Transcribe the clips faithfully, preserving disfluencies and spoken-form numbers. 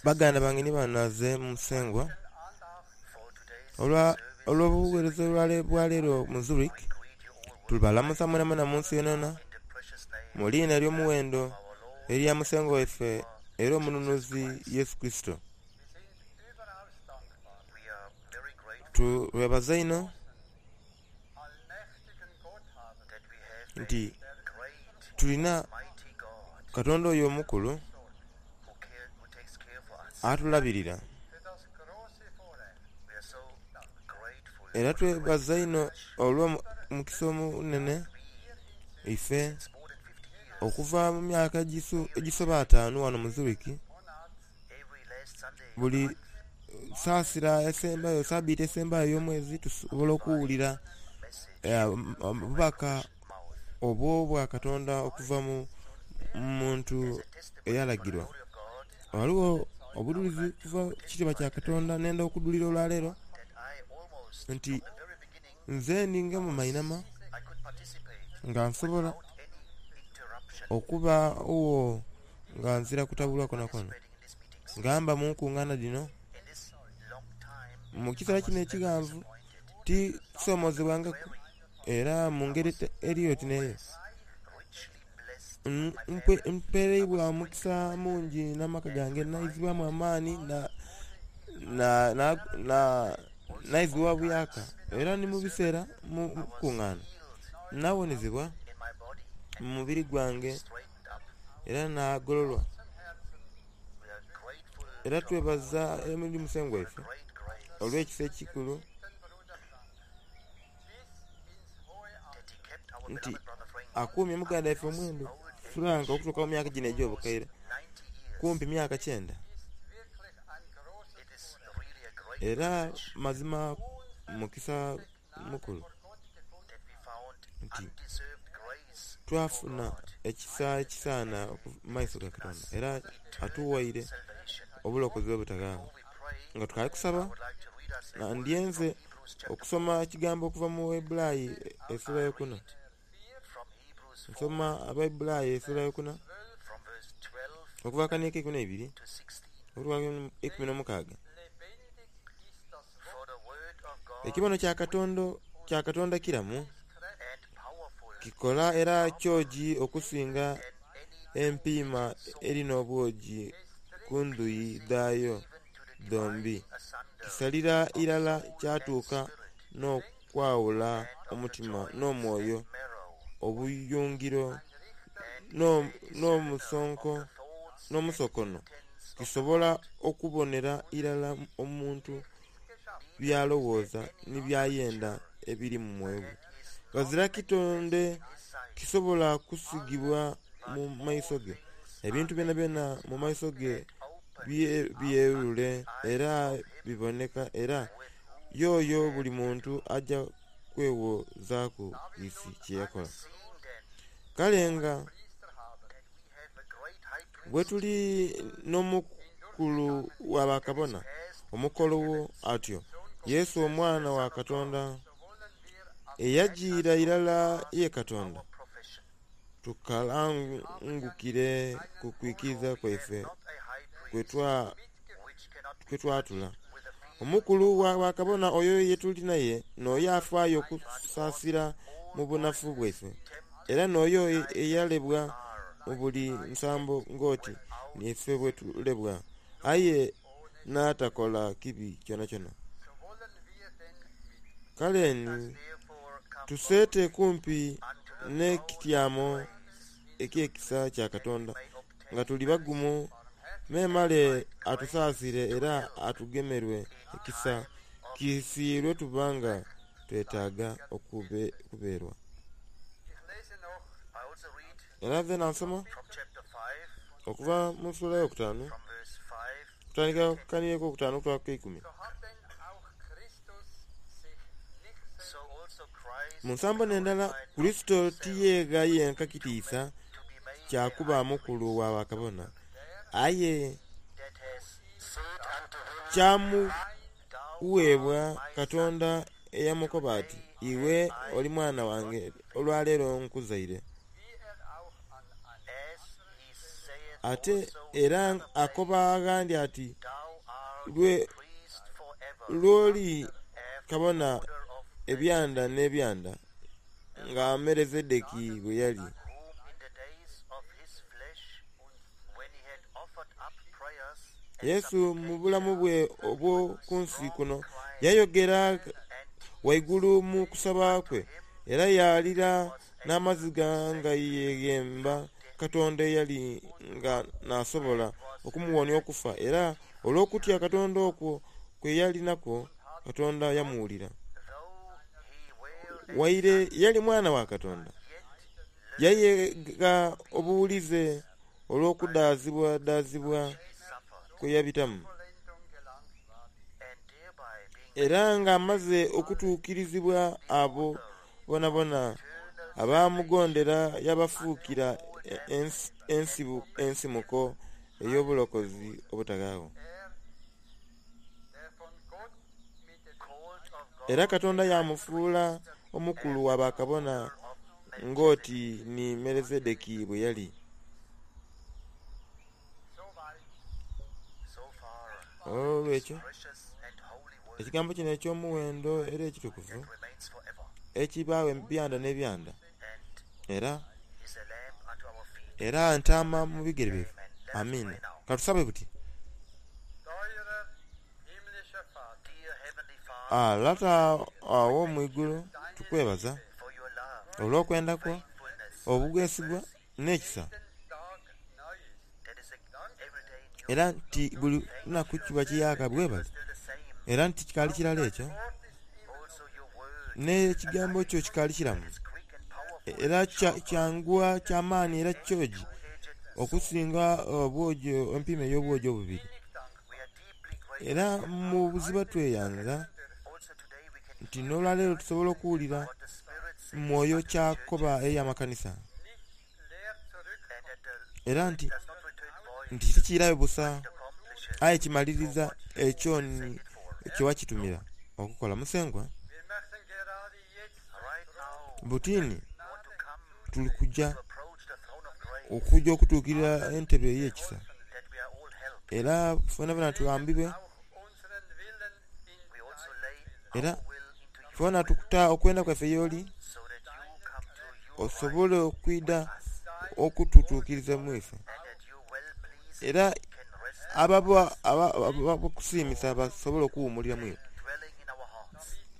Baganda bange ni banaze Musengwa olwa olw'obuweereza bwaleero mu Zurich, tubalamusa mwenamwena mu nsi yonayona mu liina ery'omuwendo erya Musengwa waife era omununuzi Yesu Kurisito. Twebaza inho nti tulina Katonda oyo omukulu atulabirira era twebaza inho olw'omukisa omunhenhe ife okuva mu myaka egisoba ataanu ghano mu Zurich, buli sasira esembayo, sabiti esembayo ey'omwezi tusobola okuwulira obubaka obw'obwakatonda okuva mu muntu eyalagirwa. Ghaligho obudhulizi okuva mu kitiibwa kya Katonda nhendha okudhulira olwaleero nti nze ninga mu mainhama nga nsobola okuba gho nga nzira kutabulwa kwonakwona nga mba mu nkungaana dhino. Mu kiseera kino ekighanvu tisomozebwangaku era mu ngeri eri oti n'eyo. Mpereibwa omukisa mungi n'amaka gange naizibwamu amaani naizibwa buyaka era ni mu biseera mu nkungaana nawonezebwa mu mubiri gwange era nagololwa. Era twebaza eri Musengwa waife olw'ekisa ekikulu nti akuumye muganda waife omwendhu Frank okutuuka mu myaka gino egy'obukaire, kumpi myaka kyenda. Era mazima mukisa mukulu nti twafuna ekisa ekisaana mu maiso ga Katonda era atuwaire obulokozi obutaghanho. Nga tukaali kusaba, ndyenze okusoma ekigambo okuva mu Baibulayi esula eyokuna. Nsoma Abaibulayi esula eyokuna okuva akaniiko eikumi neibiri okutuuka ku eikumi n'omukaaga. Ekibono kya Katonda kya Katonda kiramu, kikola era kyogi okusinga empiima eri n'obwogi ku ndhuyi dhaayo dhombi. Kisalira irala kyatuuka n'okwawula omutima n'omwoyo, obuyungiro n'omusokono. Kisobola okubonera irala omuntu by'alowooza ni by'ayenda ebiri mu mwoyo gwe. Ghazira kitonde kisobola kusigibwa mu maiso ge. Ebintu byonabyona mu maiso ge byerule era biboneka, era y'oyo buli muntu aja kwewozaaku kiisi kye yakola. Kale nga bwetuli n'Omukulu wa Bakabona omukologho atyo, Yesu Omwana wa Katonda, eyajiira irala ye Katonda, tukalangukire ku kwikiriza kwaife kwe twatula. Omukulu wa Bakabona oyo ye tuli naye n'oyo afaayo okusaasira mu bunafu bwaife, era n'oyo eyalebwa mu buli nsambo ng'oti niife bwe tulebwa, aye n'atakola kibi kyonakyona. Kale ni tuseete kumpi n'ekityamo eky'ekisa kya Katonda nga tuli bagumu, memale atusaasire era atugemerwe ekisa kiisi lwe tuba nga twetaaga okubeerwa. Era zeena nsoma okuva mu sula eyokutaanu okutandikira ku kanhiriri akokutaanu okutuuka ku keikumi. Mu nsambo n'endala, Kurisito tiyeegha yenka kitiisa kya kuba Mukulu wa Bakabona, aye kyamugheebwa Katonda eyamukoba ati, Iwe oli mwana wange, olwaleero nkuzaire. Ate era akoba aghandi ati, lw'oli kabona ebyanda n'ebyanda, nga Melizedeki bwe yali. Yesu mu bulamu bwe obw'oku nsi kuno yayogera waigulu mu kusaba kwe era yalira n'amaziga nga yeeghemba Katonda eyali nga n'asobola okumuwonia okufa, era olw'okutya Katonda okwo kwe yali nakwo, Katonda yamuwulira. Waire yali Mwana wa Katonda, yayega obuwulize olw'okudaazibwadaazibwa kwe yabitamu. Era ng'amaze okutuukirizibwa abo boonaboona abamugondera yabafuukira ensimuko ey'obulokozi obutawaagho. Era Katonda yamufuula omukulu wa bakabona ng'oti ni Melizedeki bwe yali. Olwekyo ekigambo kino eky'omuwendo era ekitukuvu ekibaawo ebyanda n'ebyanda, era era ntaama mu bigere byaife. Amiina. Katusabe buti. Ah, Lata ow'omwigulu, tukwebaza olw'okwenda kwo, obwesigwa n'ekisa, era nti buli lunaku kiba kiyaaka bwebale, era nti kikaali kirala ekyo, n'ekigambo kyo kikaali kiramu, era kyanguwa kyamaani era kyogi okusinga obwogi empimo ey'obwogi obubiri. Era mu buziba tweyanza nti n'olwaleero tusobola okuwulira mwoyo kyakoba eri amakanisa, era nti nti tikiirayo busa aye kimaliriza ekyo kyewakitumira okukola. Musengwa, butini tuli kuja okuja okutuukirira entebe ey'ekisa, era fenafena tuyambibwe, era fena tukuta okwenda kwaife y'oli, osobole okwida okututuukiriza mu ife, era ababo abakusiimisa basobole okuwuumulira mu iwe.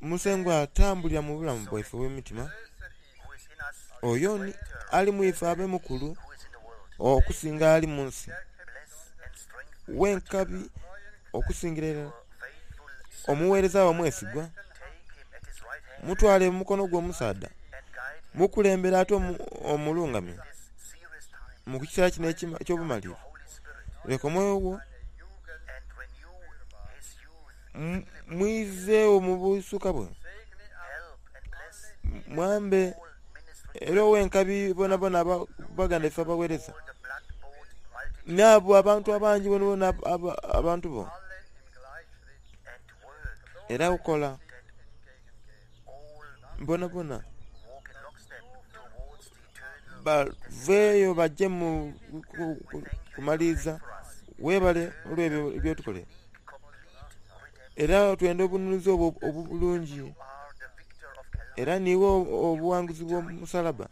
Musengwa, tambulira mu bulamu bwaife obw'emitima, oyo ni ali mu ife abe mukulu okusinga ali mu nsi, wenkabi okusingira irala omuweereza we omwesigwa, mutwale mu mukono gwe omusaadha, mukulembera ate omulungamye mu kiseera kino eky'obumalirivu. Leka omwoyo gwo mwizeewo mu busuka bwe, mwambe era owenkabi bonabona baganda ife abaweereza, n'abo abantu abangi bonabona abantu bo, era okola bonabona baveeyo bajje mu kumaliriza. Weebale olw'ebyo byotukolera, era twenda obununuzi obwo obulungi, era niiwe obuwanguzi bw'omusalaba,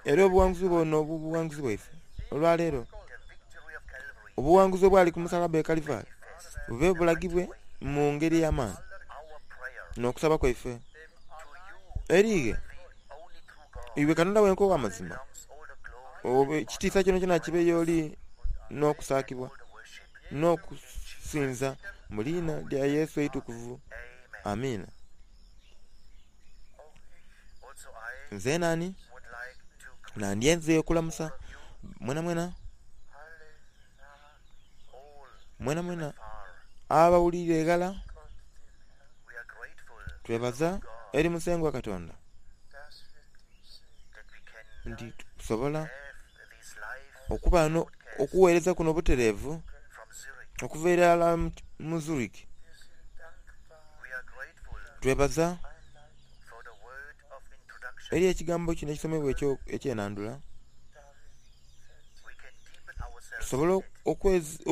era obuwanguzi bwo n'obuwanguzi bwaife olwaleero. Obuwanguzi obwali ku musalaba e Kalivari bube bulagibwe mu ngeri ey'amaani n'okusaba kwaife erighe iwe Katonda wenka ow'amazima, ekitiisa kyonakyona kyona kibe y'oli n'okusaakibwa n'okusinza mu liina lya Yesu eitukuvu. Amiina. Nze nani nandyenze okulamusa mwenamwena mwenamwena abawulire eghala. Twebaza eri Musengwa Katonda nti tusobola okuba no okuweereza kuno obutereevu okuva irala mu Zurich. Twebaza eri ekigambo kino ekisomebwa ekyenandula. Tusobola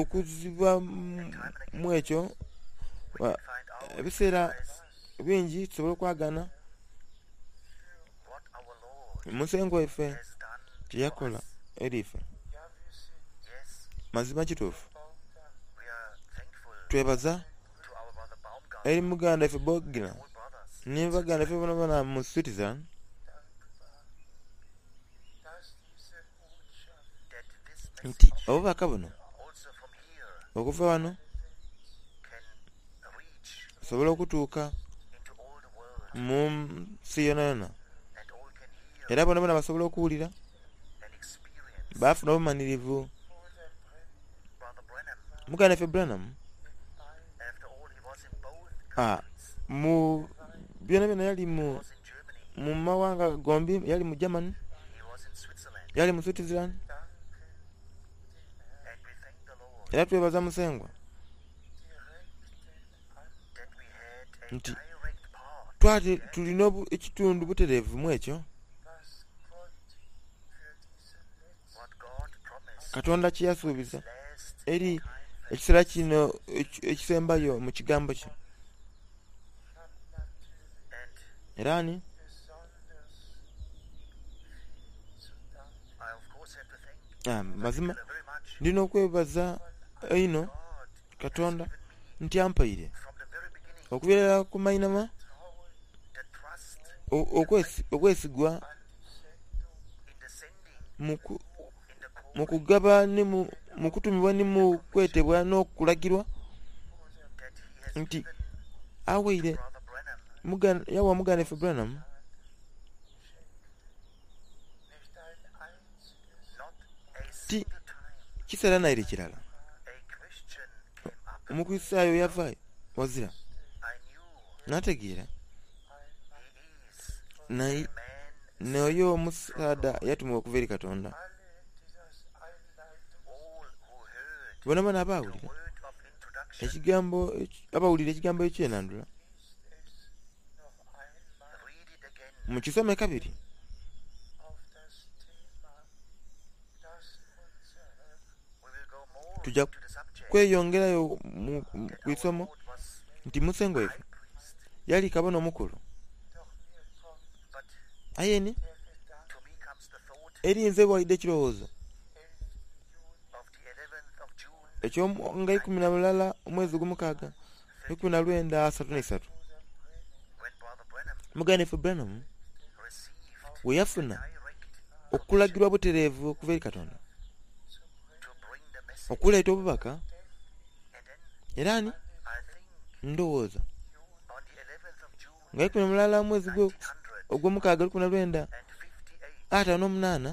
okuziba mu ekyo ebiseera bingi tusobola okwagana Musengwa waife kyeyakola eri ife. Mazima kituufu twebaza eri muganda waife Bogina ni baganda baife bonabona mu Switzerland nti obubaka buno okuva wano busobola okutuuka mu nsi yonayona era bonabona basobola okuwulira bafuna obumanhirivu. Muganda waife Branham ah, mu byonabyona yali mu mu mawanga gombi, yali mu Germany, yali mu Switzerland, era twebaza Musengwa nti twali tulina ekitundu butereevu mu ekyo Katonda kye yasuubiza eri ekiseera kino ekisembayo mu kigambo kye. Era ni ah, mazima ndina okwebaza einho Katonda nti ampaire okuviira ku mainhama obwesigwa mu kugaba ni mu kutumibwa ni mu kwetebwa n'okulagirwa nti awaire yawa muganda waife Branham ti kiseera naire kirala Omukristaayo yavaayo wazira nategeera n'oyo omusaadha yatumibwa okuva eri Katonda. Bonabona abawulira ekigambo abawulira ekigambo eky'enandula mukisome kabiri. Tuja kweyongerayo ku isomo nti Musengwa waife yali kabona omukulu. Aye ni eri nze waidha ekirowoozo ekyo nga ikumi na mulala omwezi ogwomukaaga lukumi na lwenda asatu n'eisatu muganda waife Branham bwe yafuna okulagirwa butereevu okuva eri Katonda okuleeta obubaka. Era ni ndowooza nga ikumi na mulala omwezi ogwomukaaga lukumi na lwenda ataano n'omunaana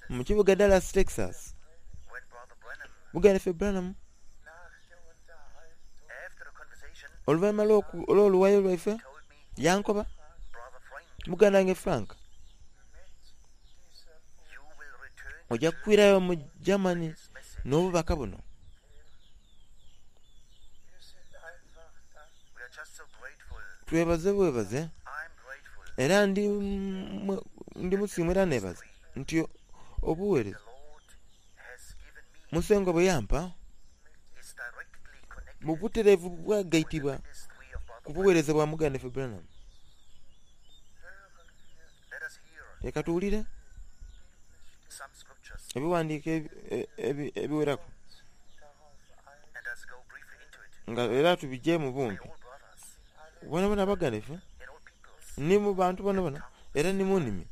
mu kibuga Dallas, Texas, muganda waife Branham oluvannyuma olw'oluwayo lwaife yankoba, muganda wange Frank, ojja kwirayo mu Germany n'obubaka buno. Twebaze bwebaze era ndi ndi musiimu era nebaza nti obuweereza Musengwa bwe yampa mu butereevu bwagaitibwa ku buweereza bwa muganda waife Branham. Leka tuwulire ebiwandiiko ebiweraku nga era tubije mu bumpi. Bonabona abaganda baife ni mu bantu bonabona era ni mu nnimi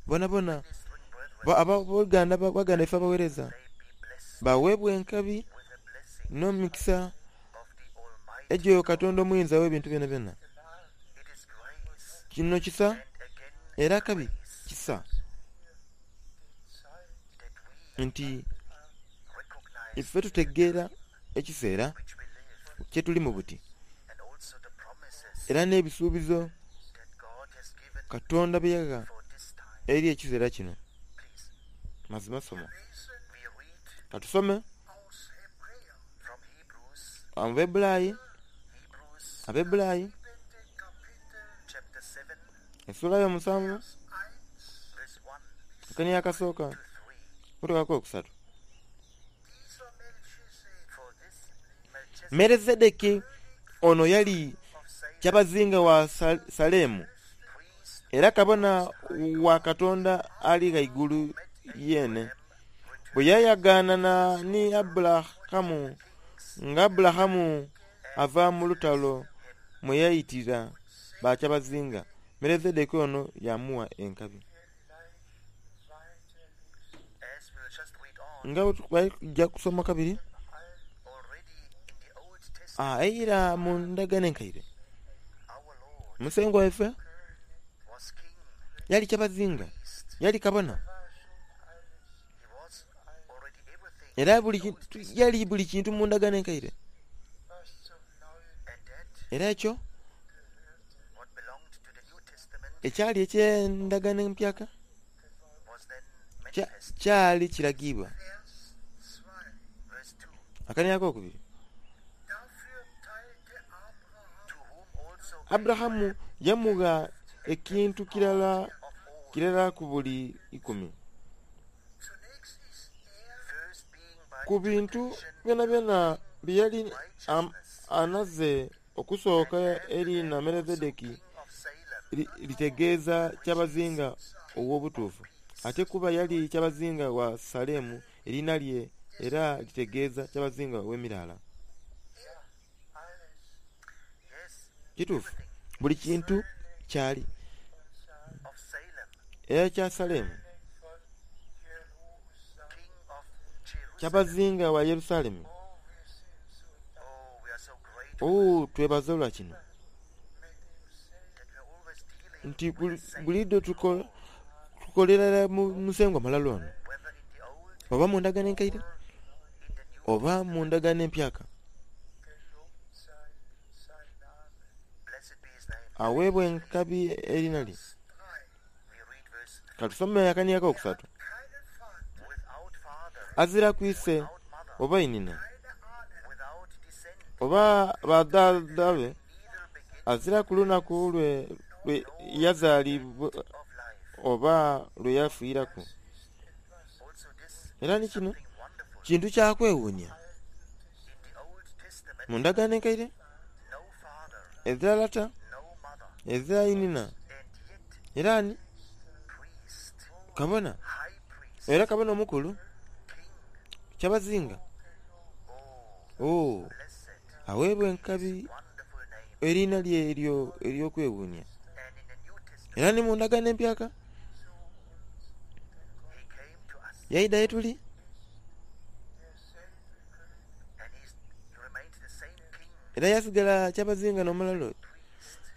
bonabona abooluganda baganda baife abaweereza baweebwa enkabi n'omukisa egyo Katonda omuyinza w'ebintu byonabyona. Kino kisa era kabi kisa nti ife tutegeera ekiseera kye tulimu buti era n'ebisuubizo Katonda bye yagha eri ekiseera kino. Mazima soma. Katusome Abebulayi Abebulayi essuula y'omusanvu akani akasooka Kutuukaku okusatu. Melizedeki ono yali kyabazinga wa Salemu era kabona wa Katonda Ali Ghaigulu Yeene. Bwe yayagaanana ni Aburahamu, nga Aburahamu ava mu lutalo mwe yaitira bakyabazinga, Melizedeki ono yaamugha enkabi. Nga bwe kusoma kabiri, eira mu ndagaano enkaire, Musengwa waife yali kyabazinga, yali kabona, era buli yali buli kintu mu ndagaano enkaire. Era ekyo ekyali eky'endagaano empyaka kyali kiragibwa. Akaniya akokubiri, Aburahamu yamugha ekintu kirala kirala ku buli ikumi. Ku bintu byonabyona bye yali anhaze. Okusooka eriina Melizedeki litegeeza kyabazinga ow'obutuufu, ate kuba yali kyabazinga wa Salemu eriina lye era litegeeza kyabazinga ow'emiraala. Kituufu, buli kintu kyali era ekya Salemu, kyabazinga wa Yerusalemu. Oh, twebaza olwa kino nti buliidho tukolerera Musengwa mulala ono, oba mu ndagaano enkaire oba mu ndagaano empyaka. Aweebwa enkabi eriina lye. Katusome akaniya akokusatu. Azira ku ise oba inhina oba badhaadha be, azira ku lunaku lwe lwe yazaalibwa oba lwe yafiiraku. Era ni kino kintu kya kwewuunia. Mu ndagaano enkaire, ezira lata, ezira inhina, era ni kabona, era kabona omukulu, kyabazinga. Oh, aweebwa enkabi eriina lye eryo ery'okwewuunia. Era ni mu ndagaano empyaka yaidha ye tuli, era yasigala kyabazinga n'omulala oyo,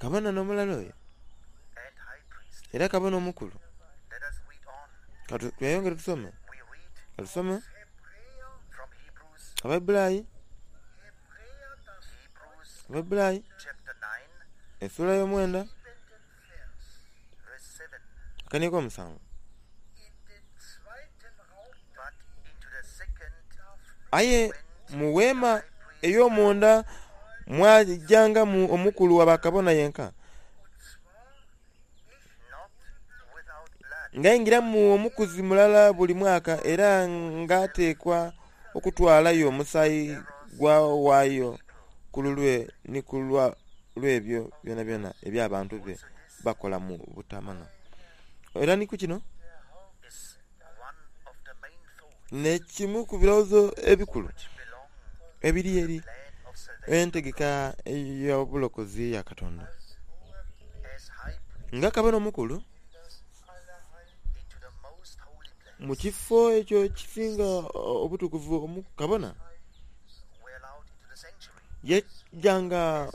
kabona n'omulala oyo, era kabona omukulu. Tweyongere tusome, katusome Abaibulayi, Abaibulayi essuula y'omwenda akaniya ak'omusanvu. Aye mu weema ey'omunda mwajangamu omukulu wa bakabona yenka, nga aingiramu omukuzi mulala buli mwaka, era nga ateekwa okutwalayo omusaayi gw'awaayo ku lulwe ni ku lw'ebyo byonabyona eby'abantu be bakola mu butamanya. Era ni ku kino n'ekimu ku birowoozo ebikulu ebiri eri entegeka ey'obulokozi eya Katonda. Nga kabona omukulu mu kifo ekyo ekisinga obutukuvu, kabona yajjanga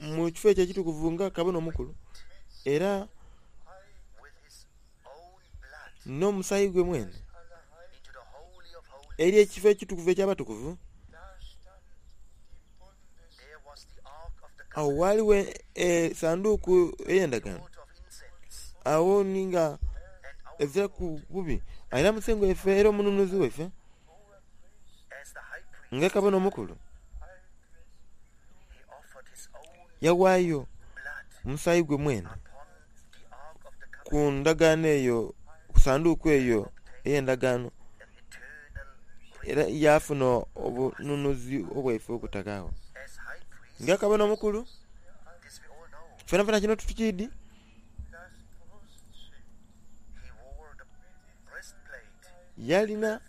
mu kifo ekyo ekitukuvu nga kabona omukulu, era n'omusaayi gwe mwene eri ekifo ekitukuvu eky'abatukuvu. Awo waliwo esanduuku ey'endagaano, awo ni nga ezira ku bubi. Era Musengwa waife era omununuzi waife nga kabona omukulu yawaayo omusaayi gwe mwene ku ndagaano eyo, ku sanduuku eyo ey'endagaano, Era yafuna obununuzi obwaife obutagagho. Nga kabona omukulu, fenafena kino tukiidi. Yalina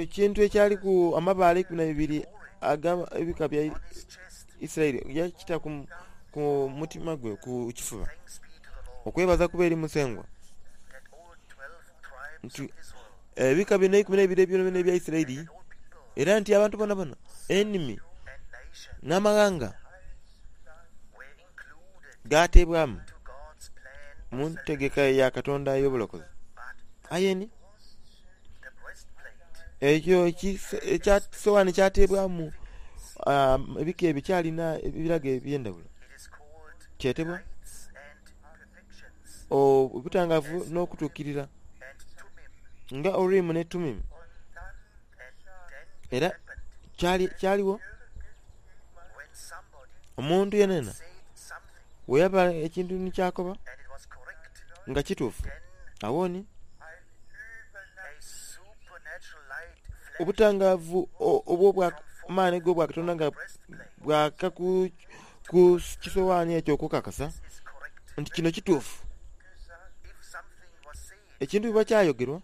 ekintu ekyaliku amabaale eikumi n'eibiri ag'ebika bya Isiraeli, yakita ku mutima gwe ku kifuba. Okwebaza kube eri Musengwa nti ebika bino eikumi n'eibiri byonabyona ebya Isiraeli, era nti abantu bonabona, enimi n'amaghanga gateebwamu mu ntegeka ya Katonda ey'obulokozi. Aye ni ekyo ekisoghani kyateebwamu ebika ebyo kyalina ebirago eby'endhaghulo. Kyetebwa obutangavu n'okutuukirira nga Urimu ne Tumimu. Era kyaligho omuntu yenayena bweyaba ekintu ni kyakoba nga kituufu, agho ni obutangavu obw'amaani ag'obwakatonda nga bwaka ku kisoghani ekyo okukakasa nti kino kituufu. Ekintu bweba kyayogerwa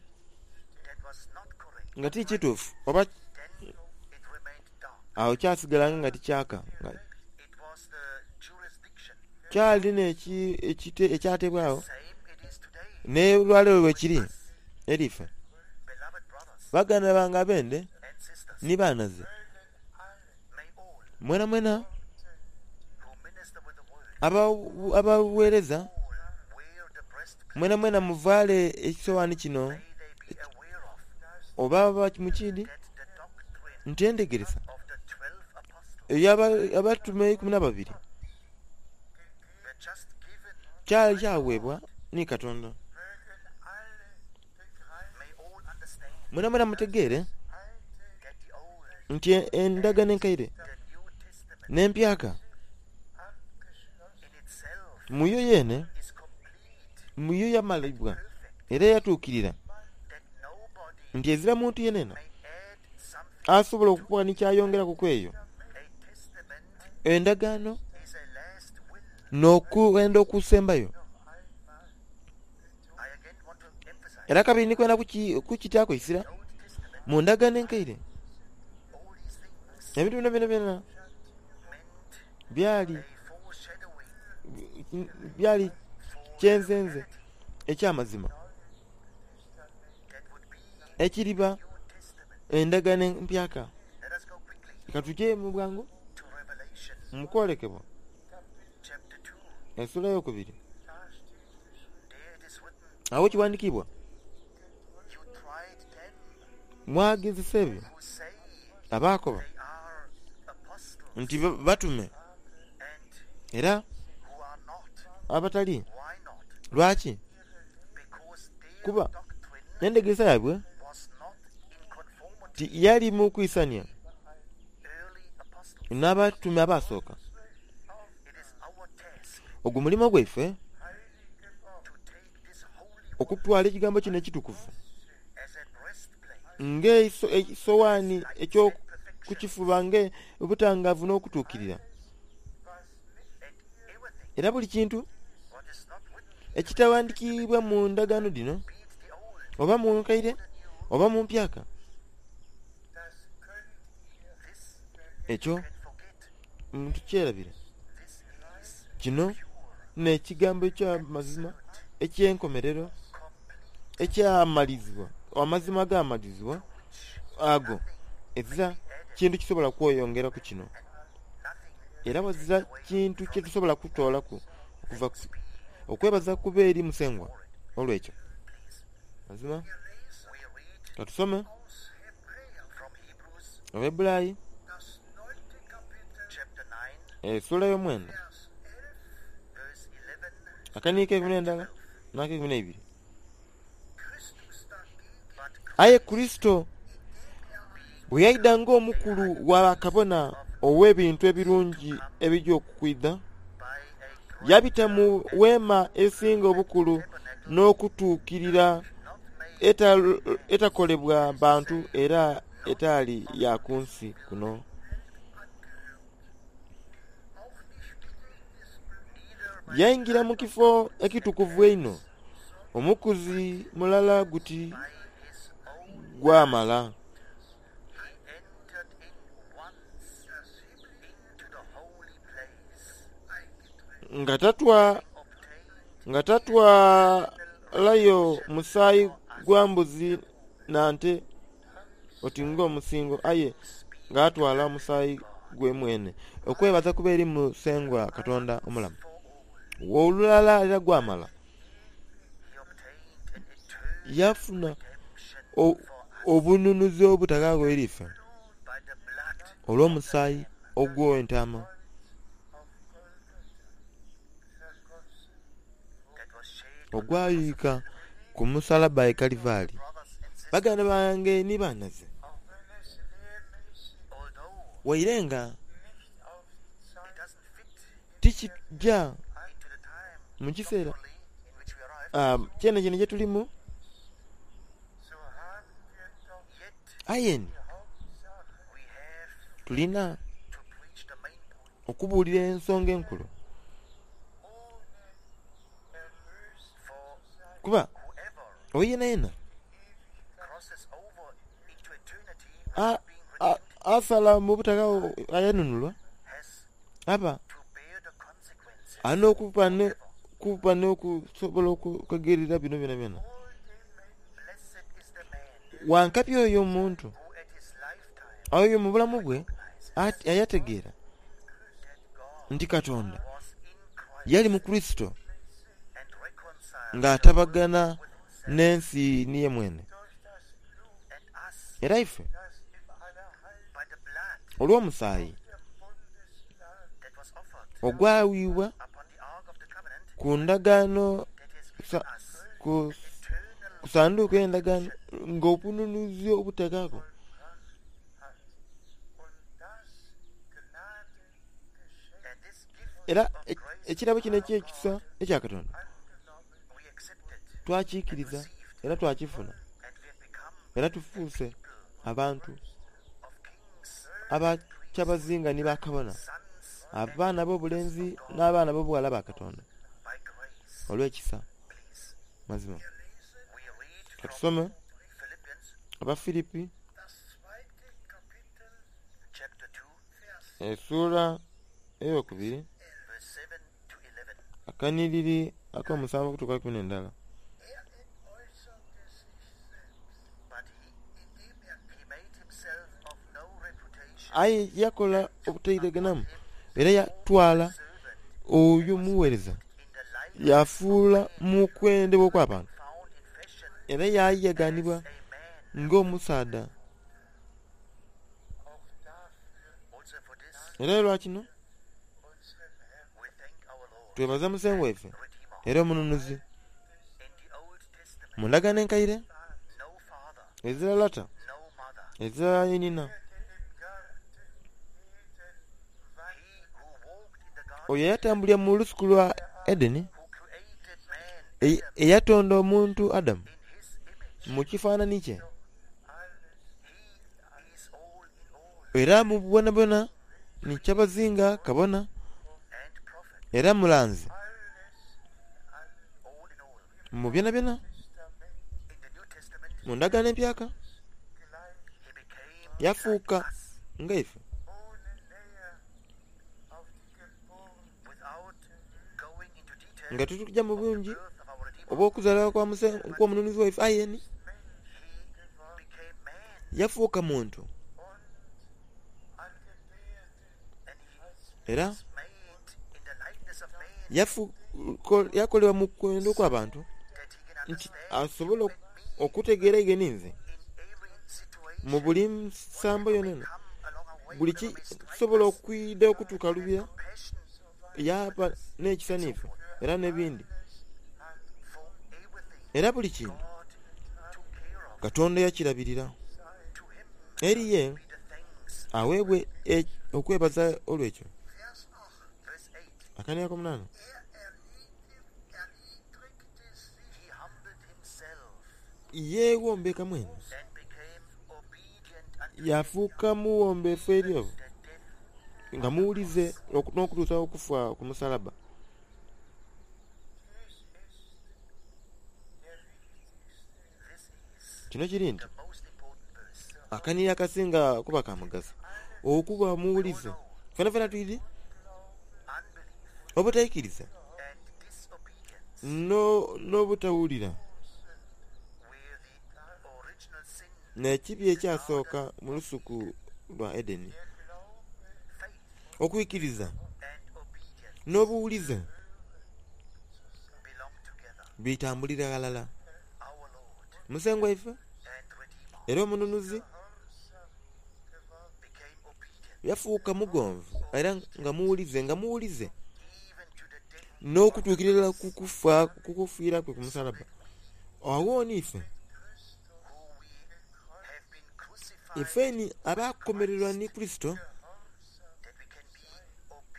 nga ti kituufu oba agho kyasigalanga nga tikyaka. Kyali n'ekyatebwagho n'olwaleero bwekiri eri ife. Baganda bange abende ni banaze, mwenamwena abagheereza mwenamwena muvaale ekisoghani kino oba mukiidhi nti endhegeresa ey'abatume eikumi n'ababiri kyali kyaweebwa ni Katonda. Mwenamwena mutegeere nti endagaano enkaire n'empyaka muyo yeene muyo yamalibwa era yatuukirira nti ezira muntu yenayena asobola okuba ni kyayongeraku ku eyo endagaano n'okwenda okusembayo. Era kabiri ni kwenda kukitaaku eisira mu ndagaano enkaire ebintu bino byonabyona byali byali kyenzenze eky'amazima ekiriba endagaano empyaka. Ka tuje mu bwangu mu kwolekebwa esula eyokubiri. Agho kiwandiikibwa, mwagezesa ebyo abaakoba nti batume era abatali. Lwaki? Kuba endhegeresa yaibwe tiyali mu kwisania n'abatume abaasooka. Ogwo mulimo gwaife okutwala ekigambo kino ekitukuvu ng'ekisoghani eky'okukifuba ng'obutangavu n'okutuukirira. Era buli kintu ekitaghandikiibwa mu ndagaano dhino, oba mu nkaire oba mu mpyaka, ekyo tukyerabire. Kino n'ekigambo eky'amazima eky'enkomerero ekyamalizibwa, amazima agamalizibwa ago ezira kintu kisobola kweyongeraku kino. Era ghazira kintu kyetusobola kutoolaku okuva okwebaza kube eri Musengwa olw'ekyo. Mazima katusome Abaheburayi esula ey'omwenda akaniiko eikumi n'endala n'akeikumi n'eibiri. Aye Kurisito bwe yaidha ng'omukulu wa bakabona ow'ebintu ebirungi ebija okwidha, yabita mu weema esinga obukulu n'okutuukirira Etakolebwa bantu era etali ya ku nsi kuno. Yaingira mu kifo ekitukuvu einho omukuzi mulala guti gwamala. Nga tatwalayo musaayi gwa mbuzi na nte oti ng'omusingo, aye ng'atwala omusaayi gwe mwene. Okwebaza kube eri Musengwa Katonda omulamu. Olulala era gwamala yafuna obununuzi obutaghaagho eri ife olw'omusaayi ogw'entaama ogwayuyika ku musalabba e Kalivari. Baganda bange ni banhaze, waire nga tikija mu kiseera kyenekyenekye tulimu, aye ni tulina okubuulira ensonga enkulu. Kuba oyo yenayena asala mu butaghaagho ayanunulwa aba ali n'okuba n'okusobola okukaigirira bino byonabyona. Wankabi oyo omuntu oyo mu bulamu bwe ayategeera nti Katonda yali mu Kurisito ng'atabagana n'ensi ni ye mwene. Era ife olw'omusaayi ogwayiibwa ku ndagaano ku sanduuku ey'endagaano ng'obununuzi obutaghaagho. Era ekirabo kino eky'ekisa ekya Katonda twakikiriza era twakifuna era tufuuse abantu aba kyabazinga ni bakabona, abaana ab'obulenzi n'abaana ab'obughala ba Katonda olw'ekisa. Mazima katusome Abafilipi esula eyokubiri akanhiriri ak'omusanvu okutuuka ku ikumi n'endala. Aye yakola obutaireganamu era yatwala oyo omugheereza yaafuula mu kwendebwa okw'abantu era yaayeganibwa ng'omusaadha. Era olwa kino twebaza Musengwa waife era Omununuzi. Mu ndagaano enkaire ezira lata, ezira inhina. Oyo eyatambulira mu lusuku lwa Edeni, eyatonda omuntu Adamu mu kifanhanhi kye, era mu bwonabwona ni kyabazinga kabona era mulanzi mu byonabyona. Mu ndagaano empyaka yafuuka nga ife. Nga tituli mu bungi obw'okuzaalibwa kw'omununuzi waife, aye ni yafuuka muntu era yakolebwa mu kwenda okw'abantu nti asobole okutegeera ighe ninze mu buli nsambo yonayona. Buli kisobola okwidha okutukalubya yaaba n'ekisa n'ife era n'ebindi. Era buli kintu Katonda yakirabirira. Eri ye aweebwe okwebaza olw'ekyo. Akania akomunana. Yeewombeka mwene yafuuka muwombeefu eri nga muwulize n'okutuusa okufa ku musalaba. Kino kiri nti akanhiriri akasinga kuba ka mugaso okuba omuwulize fenafena twidhi obutaikiriza n'obutawulira n'ekibi ekyasooka mu lusuku lwa Edeni. Okwikiriza n'obuwulize bitambulira ghalala. Musengwa waife era omununuzi yafuuka mugonvu era nga muwulize nga muwulize n'okutuukira irala ku kufiira kwe ku musalaba. Agho ni ife, ifeni abakomererwa ni Kurisito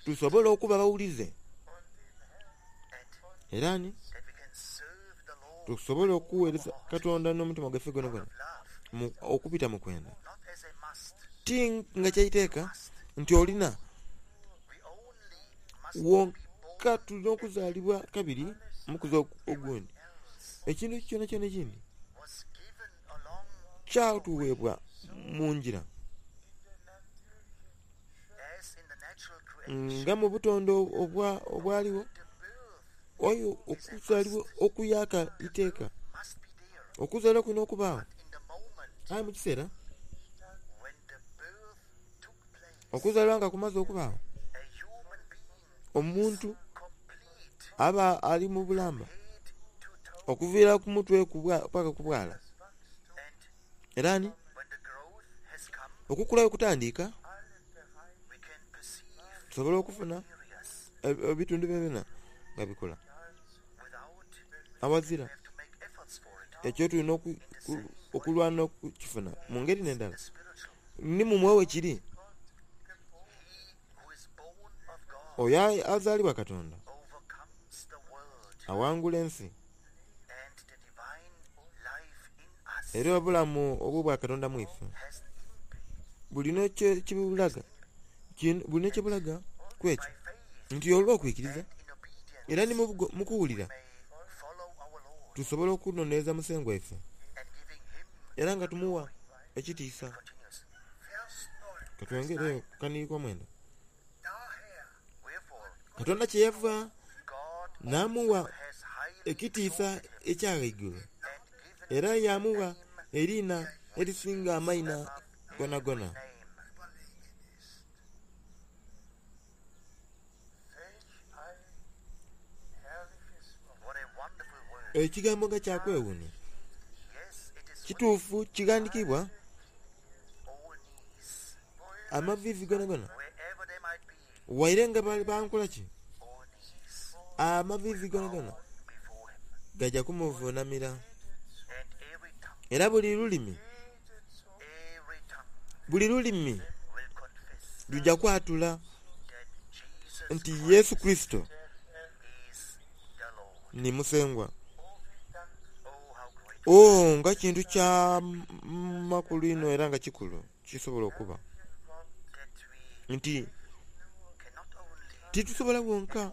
tusobole okuba abawulize era ni tusobole okuweereza Katonda n'omutima gwaife gwonagwona okubita mu kwenda. Ti nga kyaiteeka nti olina wonka tulina okuzaalibwa kabiri mukuzi ogundi. Ekintu kyonakyona ekindi kyatuweebwa mu ngira nga mu butonde obwaligho aye okuzaalibwa okuyaaka iteeka. Okuzaalibwa kulina okubaagho aye mu kiseera okuzaalibwa nga kumaze okubaagho, omuntu aba ali mu bulamba okuviira ku mutwe paka ku bwala. Era ni okukula bwekutandika tusobola okufuna ebitundu byonabyona nga bikula aghazira ekyo tulina okulwana okukifuna mu ngeri n'endala. Ni mu mwoyo bwekiri, oyo azaalibwa Katonda awangula ensi era obulamu obw'obwakatonda mu ife bulina kyebulaga bulina kyebulaga ku ekyo nti olw'okwikiriza era ni mu kuwulira tusobola okunonhereza Musengwa waife era nga tumuwa ekitiisa. Katwongereyo ku kanhiriri k'omwenda. Katonda kyeyava n'amugha ekitiisa ekya ghaigulu era yaamugha eriina erisinga amaina gonagona. Ekigambo nga kya kwewuunia! Kituufu kighandhikiibwa amaviivi gonagona waire nga bankola ki, amaviivi gonagona gaja kumuvunamira. Era buli lulimi, buli lulimi luja kwatula nti Yesu Kurisito ni Musengwa. Oo, nga kintu kya makulu inho era nga kikulu kisobola okuba nti titusobola bwonka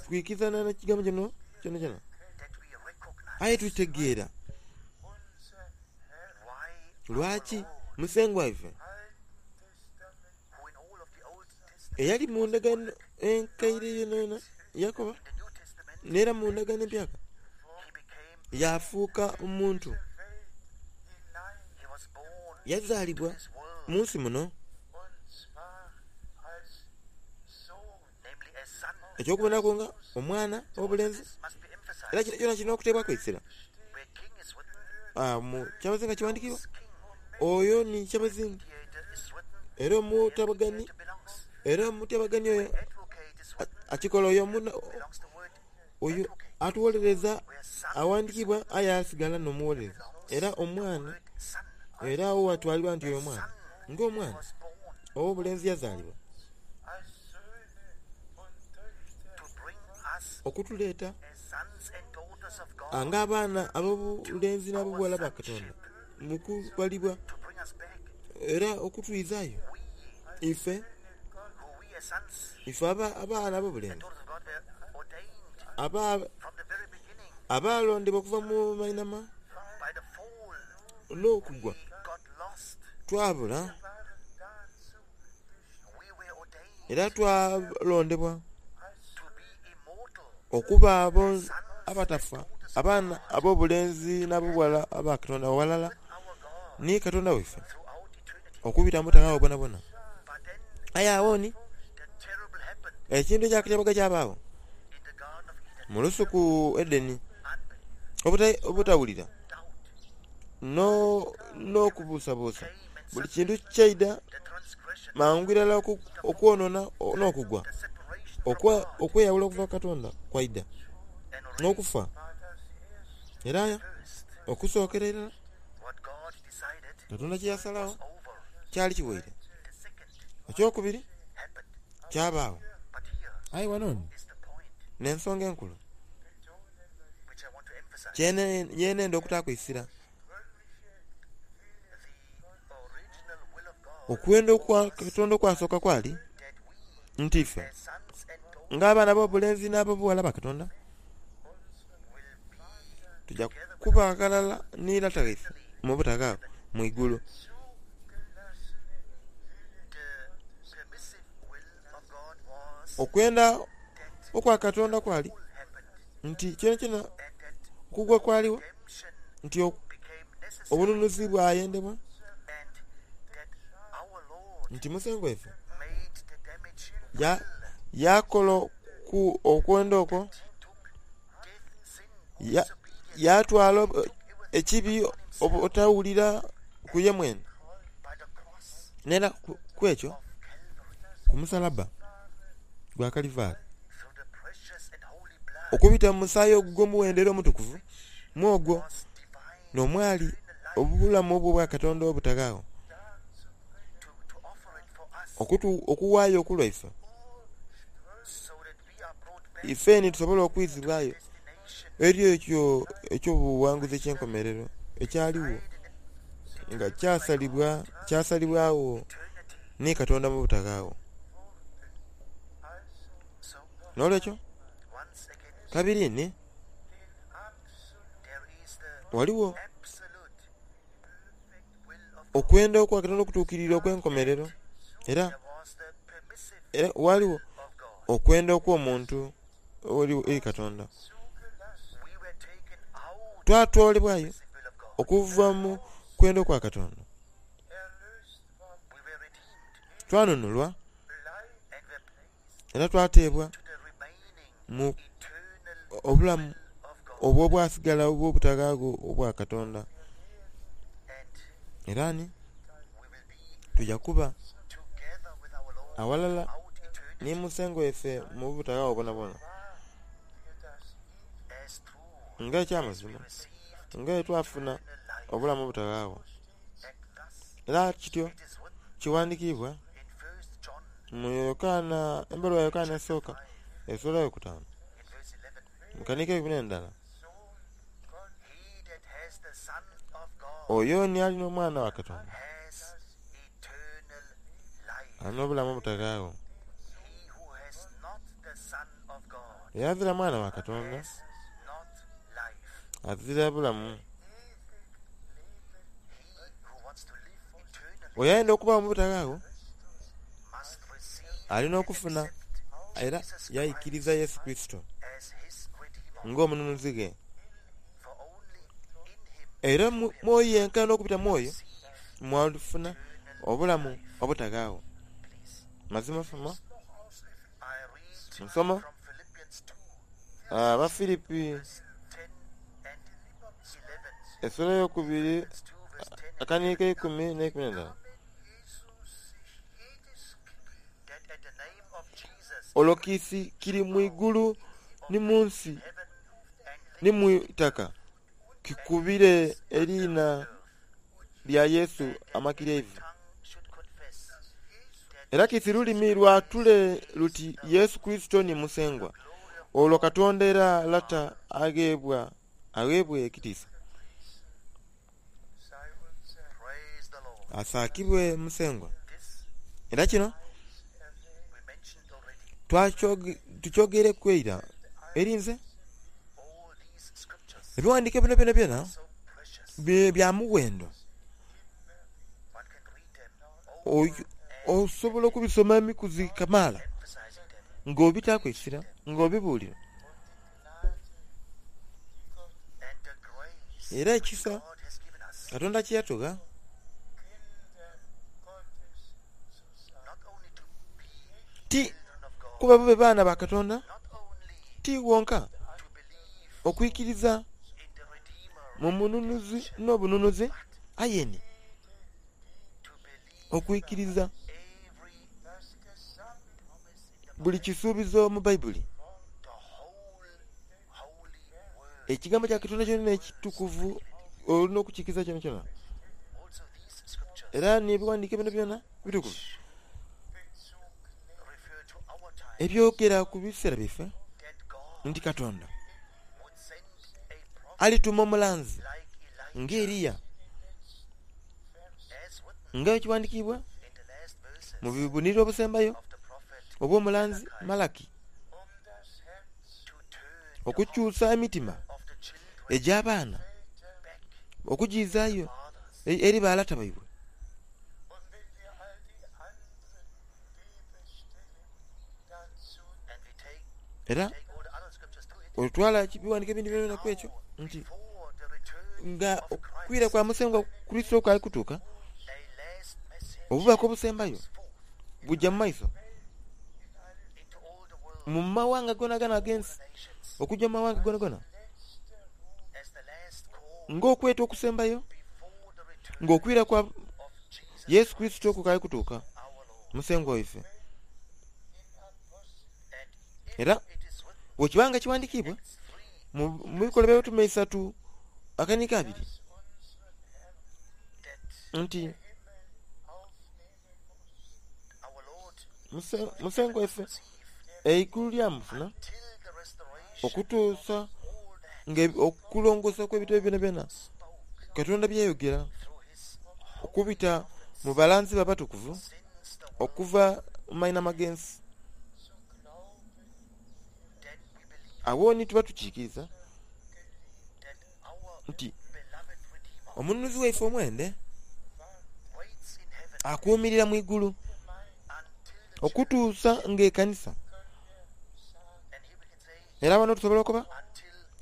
kwikizana na kigambo kino kyonakyona, aye tutegeera lwaki Musengwa waife eyali mu ndagaano enkaire yonayona yakoba, n'era mu ndagaano empyaka yaafuuka omuntu. Yazaalibwa mu nsi muno. Eky'okubonaku nga omwana ow'obulenzi, era kino kyona kirina okuteebwaku eisira. Mu kyabazinga kiwandiikibwa, oyo ni kyabazinga era omutabagani, era omutabagani oyo akikola oyo oyo atuwolereza aghandiikibwa aye asigala n'omuwolereza. Era omwana, era agho ghatwalibwa nti oyo mwana, nga omwana ow'obulenzi yazaalibwa okutuleeta Nga abaana ab'obulenzi n'ab'obuwala ba Katonda mu kubalibwa era okutwizaayo ife ife abaana ab'obulenzi abalondebwa okuva mu mainhama n'okugwa twabula era twalondebwa okuba abo abatafa, abaana ab'obulenzi n'ab'obuwala aba Katonda aghalala ni Katonda waife okubita mu butaghaagho bwonabwona. Aye agho ni ekintu eky'akatyabaga kyabagho mu lusuku Edeni, obutawulira n'okubuusabuusa buli kintu kyaidha mangu irala okwonona n'okugwa. Okweyawula okuva ku Katonda kwaidha n'okufa. Era okusokera irala Katonda kyeyasalagho kyali kiwaire. Ekyokubiri kyabagho. Aye ghano n'ensonga enkulu kyenenda okutaaku eisira. Okwenda okwa Katonda okwasooka kwali nti ife nga abaana ab'obulenzi n'ab'obuwala ba Katonda tuja kuba ghalala ni Lata waife mu butaghaagho mu igulu. Okwenda okwa Katonda kwali nti kyonakyona okugwa kwaligho nti obununuzi bwayendebwa nti Musengwa waife yakola okwenda okwo, yatwala ekibi obutawulira ku ye mwene. N'era ku ekyo ku musalabba gwa Kalivaali, okubita mu musaayi ogw'omuwendo era omutukuvu, mu ogwo n'omwali obulamu obwo Katonda obutaghaagho, okughaayo ku lwaife ifeni tusobole okwizibwayo eri ekyo eky'obuwanguzi eky'enkomerero ekyaligho nga kyasalibwa kyasalibwagho ni Katonda mu butaghaagho. N'olwekyo kabiri ni ghaligho okwenda okwa Katonda okutuukirira okw'enkomerero era era ghaligho okwenda okw'omuntu eri Katonda. Twatwalibwayo okuva mu kwenda okwa Katonda, twanunulwa era twateebwa mu obulamu obwo obwasigala obw'obutaghaagho obwa Katonda. Era ni tuja kuba aghalala ni Musengwa waife mu butaghaagho bwonabwona. Nga eky'amazima, nga bwe twafuna obulamu obutaghaagho. Era kityo kiwandikiibwa mu Yokaana, embaluwa ya Yokaana esooka esula eyokutaanu mu kanhika eikumi n'endala. Oyo ni alina Omwana wa Katonda alina obulamu obutaghaagho. Eyazira Mwana wa Katonda azira bulamu. Oyo ayenda okubagho mu butaghaagho alina okufuna era yaikiriza Yesu Kurisito ng'omununuzi ghe. Era mwoyo yenka n'okubita mwoyo mwalifuna obulamu obutaghaagho. Mazima soma nsoma Abafilipi esula eyokubiri akaniiko eikumi n'eikumi n'endala. Olwo kiisi kiri mu igulu ni mu nsi ni mu itaka kikubire eriina lya Yesu amakiryaivu. Era kiisi lulimi lwatule luti Yesu Kurisito ni Musengwa, olwo Katonda era Lata agheebwa Aweebwe ekitiisa. Asaakibwe Musengwa. Era kino tukyogereku eira eri nze. Ebiwandiiko bino byonabyona bya muwendo. Osobola okubisoma emikuzi kamaala nga obitaaku eisira, nga obibuulira. Era ekisa Katonda kye yatugha ti kuba bube baana ba Katonda, ti wonka okwikiriza mu mununuzi n'obununuzi, aye ni okwikiriza buli kisuubizo mu Baibuli. Ekigambo kya Katonda kyona ekitukuvu olina okukikiriza kyonakyona. Era n'ebiwandiiko bino byona bitukuvu ebyogera ku biseera byaife nti Katonda alituma omulanzi nga Eriya, nga ekiwandiikibwa mu bubonero obusembayo obw'omulanzi Malaki, okukyusa emitima egy'abaana okugiizaayo eri balata baibwe. Era otwala ebiwandiiko ebindi byonabyona ku ekyo nti nga okwira kwa Musengwa Kurisito kukali kutuuka, obubaka obusembayo buja mu maiso mu mawanga gonagona ag'ensi, okujja mu mawanga gonagona ng'okweta okusembayo, ng'okwira kwa Yesu Kurisito kukali kutuuka, Musengwa waife. Era bwekiba nga kiwandiikibwa mu Bikolwa by'Abatume isatu akanika abiri nti Musengwa waife eigulu lyamufuna okutuusa nga okulongoosa okw'ebintu byonabyona Katonda byayogera okubita mu balanzi be abatukuvu okuva mu mainhama g'ensi. Agho ni tuba tukiikiriza nti omununuzi waife omwende akuumirira mu igulu okutuusa nga ekanisa. Era wano tusobola okuba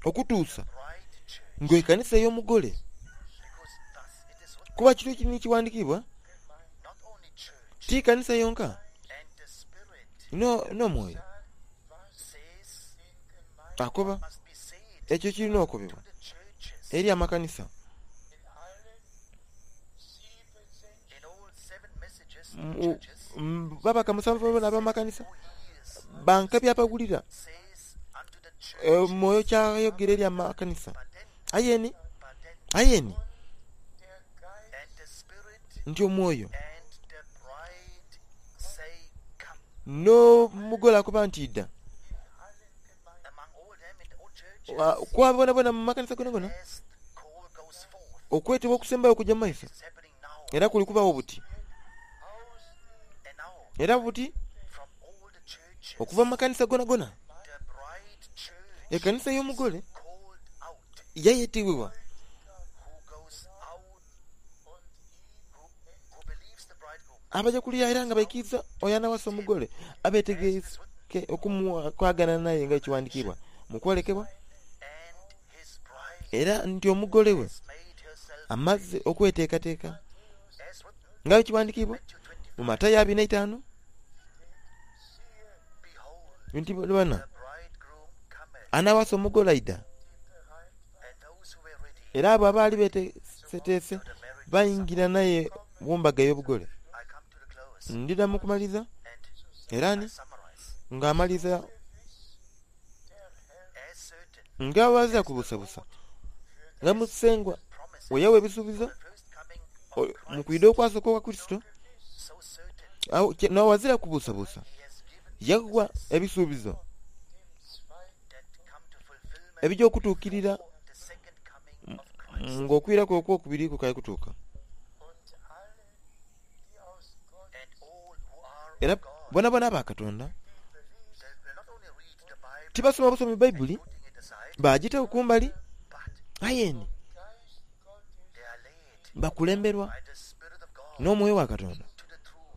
okutuusa nga ekanisa ey'omugole, kuba kino kiri kiwandiikibwa ti kanisa yonka n'omwoyo akoba ekyo kirina okobebwa eri amakanisa. Babaka musanvu ab'amakanisa banka byabawulira omwoyo kyayogera eri amakanisa. Aye ni aye ni nti omwoyo n'omugole akoba nti idha. Ku bonabona mu makanisa gonagona okwetebwa okusembayo okujja mu maiso era kuli kubawo buti. Era buti okuva mu makanisa gonagona ekanisa ey'omugole yayetebwa abaja kuliya era nga baikiriza oyo anawasa omugole abetegeike okumwagana naye nga ekiwandiikibwa mu kwolekebwa, era nti omugole we amaze okweteekateeka nga ekiwandiikibwa mu Matayo abiri na itaanu nti bana anawasa omugole aidha. Era abo abaali beteeseteese baingira naye mu mbaga ey'obugole. Ndidha mu kumaliza era ni nga amaliza nga ghazira kubusabusa nga Musengwa bwe yawa ebisuubizo mu kwidha okwasooka okwa Kurisito, n'ghazira kubusabusa yagha ebisuubizo ebija okutuukirira Ng'okwiraku okwokubiri kukaali kutuuka. Era bonabona aba Katonda tibasoma busomi Baibuli bagitaku kumbali, aye ni bakulemberwa n'omwoyo wa Katonda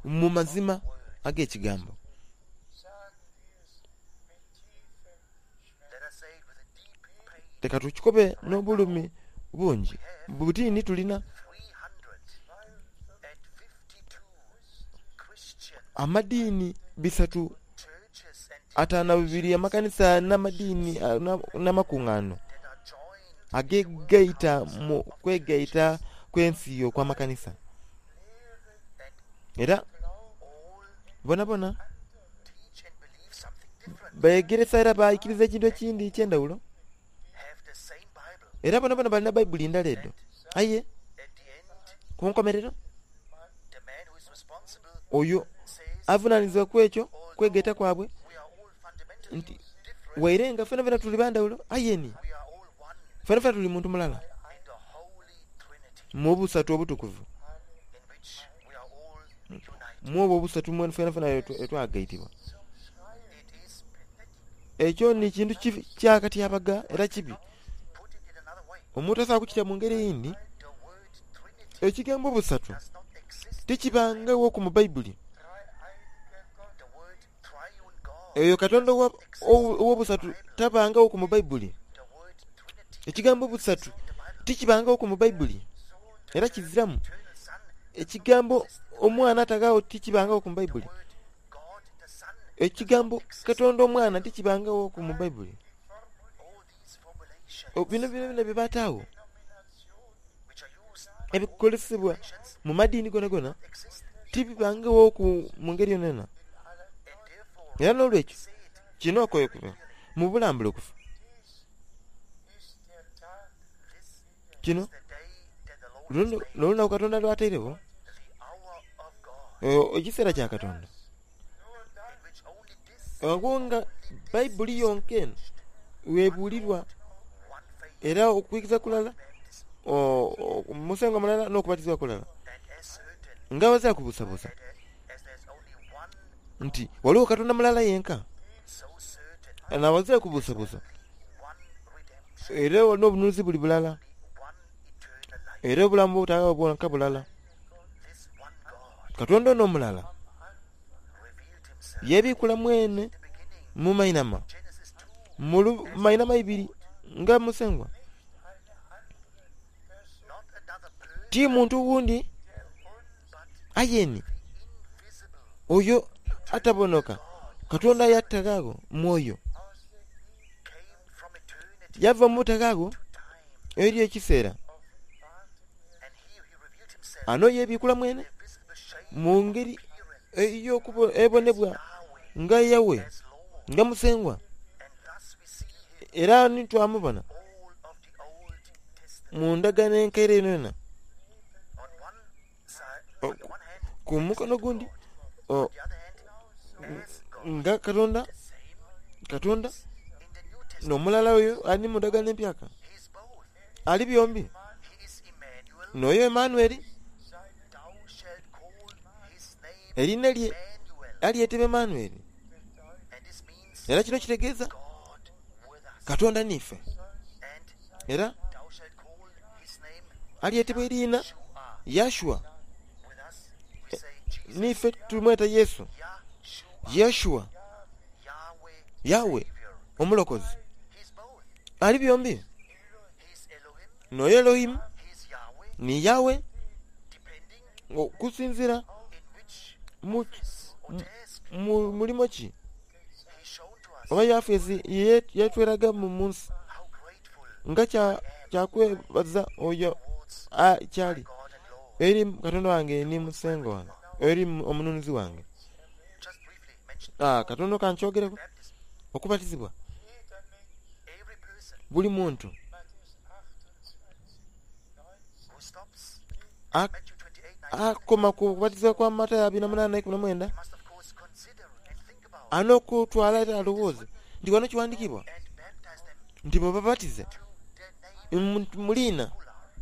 mu mazima ag'ekigambo. Leka tukikobe n'obulumi bungi. Butini tulina amadiini bisatu ataano bibiri, amakanisa n'amadiini n'amakuŋŋaano agegaita mu kwegaita kw'ensi okw'amakanisa. Era bonabona begeresa era baikiriza ekintu ekindi eky'endhawulo. Era bonabona balina Baibuli ndala edho. Aye ku nkomerero oyo avunanizibwa ku ekyo kwegaita kwabwe nti waire nga fenafena tuli bandhawulo, aye ni fenafena tuli muntu mulala mu busatu obutukuvu. Mu obwo obusatu fenafena twagaitibwa. Ekyo ni kintu kyakatyabaga era kibi. Omuntu asobola kukita mu ngeri eyindi. Ekigambo busatu tikibangawoku mu Baibuli. Eyo Katonda ow'obusatu tabangawoku mu Baibuli. Ekigambo busatu tikibangawoku mu Baibuli era kiziramu. Ekigambo omwana ataghawo tikibangawoku mu Baibuli. Ekigambo Katonda omwana tikibangawoku mu Baibuli. Bino byona bye bataagho ebikozesebwa mu madiini gonagona tibibangawoku mu ngeri yonayona. Era n'olwekyo kino okwekuba mu bulambulukufu kino n'olunaku Katonda lwatairegho, ekiseera kya Katonda. Agho nga Baibuli yonka eno webuulirwa era okwikiriza kulala, omusengo mulala n'okubatizibwa kulala. Nga abazira kubuusabuusa nti ghaligho Katonda mulala yenka, n'abazira kubuusabuusa era n'obununuzi buli bulala, era obulamu obutagwaagho bwonka bulala. Katonda ono omulala yeebikula mwene mu mainhama, mu mainhama ibiri nga Musengwa. Ti muntu wundi aye ni oyo atabonoka Katonda yataghaagho mwoyo. Yava mu butaghaagho eri ekiseera. Ano yeebikula mwene mu ngeri ey'ebonebwa nga Yawe, nga Musengwa. Era ni twamubona mu ndagaano enkaire yonayona. Ku mukono ogundi nga Katonda, Katonda n'omulala oyo ali mu ndagaano empyaka. Ali byombi. N'oyo Emmanueli, eriina lye alyetebwa Emmanueli. Era kino kitegeeza Katonda niife. Era alyetebwa eriina Yashua. Niife tumweta Yesu. Yeshua, Yawe omulokozi. Ali byombi. N'oyo Elohimu ni Yawe okusinziira mu mulimo ki oba yafeesi yetweraga mu nsi nga kyakwebaza oyo kyali eri Katonda wange ni Musengwa wange, eri omununuzi wange. Katono kankyogereku okubatizibwa buli muntu akoma ku kubatizibwa kwa Matayo abiri na munaana ikumi na mwenda alina okutwala era alowooze nti wano kiwandikibwa nti bababatize mu liina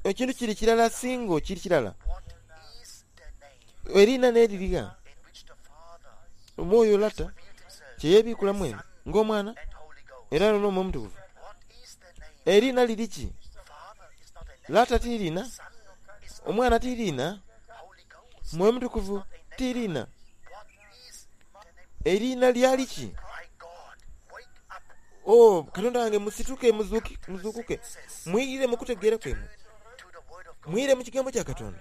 Ekintu kiri kirala singo kiri kirala. Eriina n'eririga omwoyo lata kyeyebiikula mwene ng'omwana era n'omwoyo omutukuvu. Eriina liri ki? Lata tiriina, omwana tiriina, mwoyo mutukuvu tiriina. Eriina lyali ki? Oh, Katonda wange musituke muzuukuke mwire mu kutegeera kwemwe, mwire mu kigambo kya Katonda.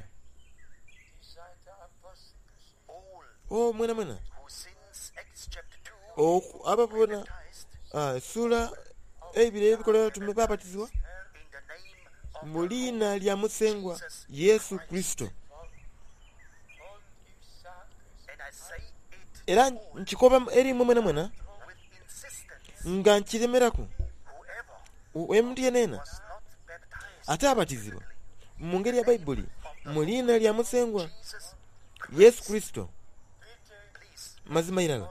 Oh, mwena mwena ababona essuula eibiri ey'ebikolwa by'Abatume babatizibwa mu liina lya Musengwa Yesu Kurisito. Era nkikoba eri imwe mwenamwena nga nkiremeraku omuntu yenayena ate abatizibwa mu ngeri ya Baibuli mu liina lya Musengwa Yesu Kurisito. Mazima irala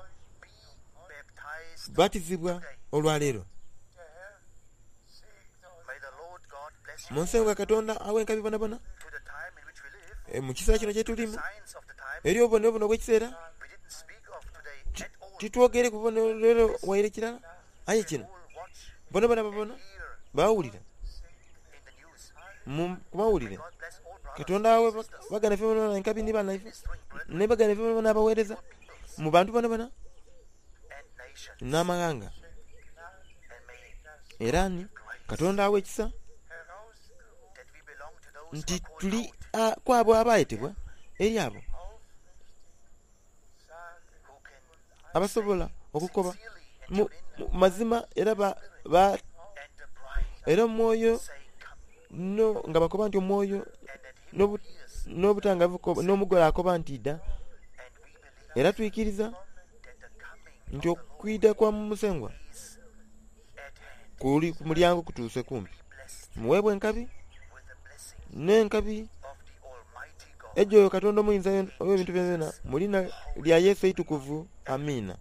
batizibwa olwaleero. Musengwa Katonda awe enkabi bonabona mu kiseera kino kyetulimu eri obubonero buno obw'ekiseera titwogere ku bubonero waire kirala aye kino bonabona babona bawulira ku mawulire. Katonda awe baganda baife bonabona enkabi ni banaife ni baganda baife bonabona abaweereza mu bantu bonabona n'amaghanga. Era ni Katonda awe ekisa nti tuli kwabo abayetebwa eri abo abasobola okukoba mu mazima era ba, ba era omwoyo no nga bakoba nti omwoyo n'obutangavu n'omugole akoba nti idha. Era twikiriza nti okwidha kwa Musengwa kuli ku mulyango kutuuse kumpi. Muweebwe enkabi n'enkabi ejo Katonda omuyinza ow'ebintu byonabyona mu liina lya Yesu eitukuvu. Amiina.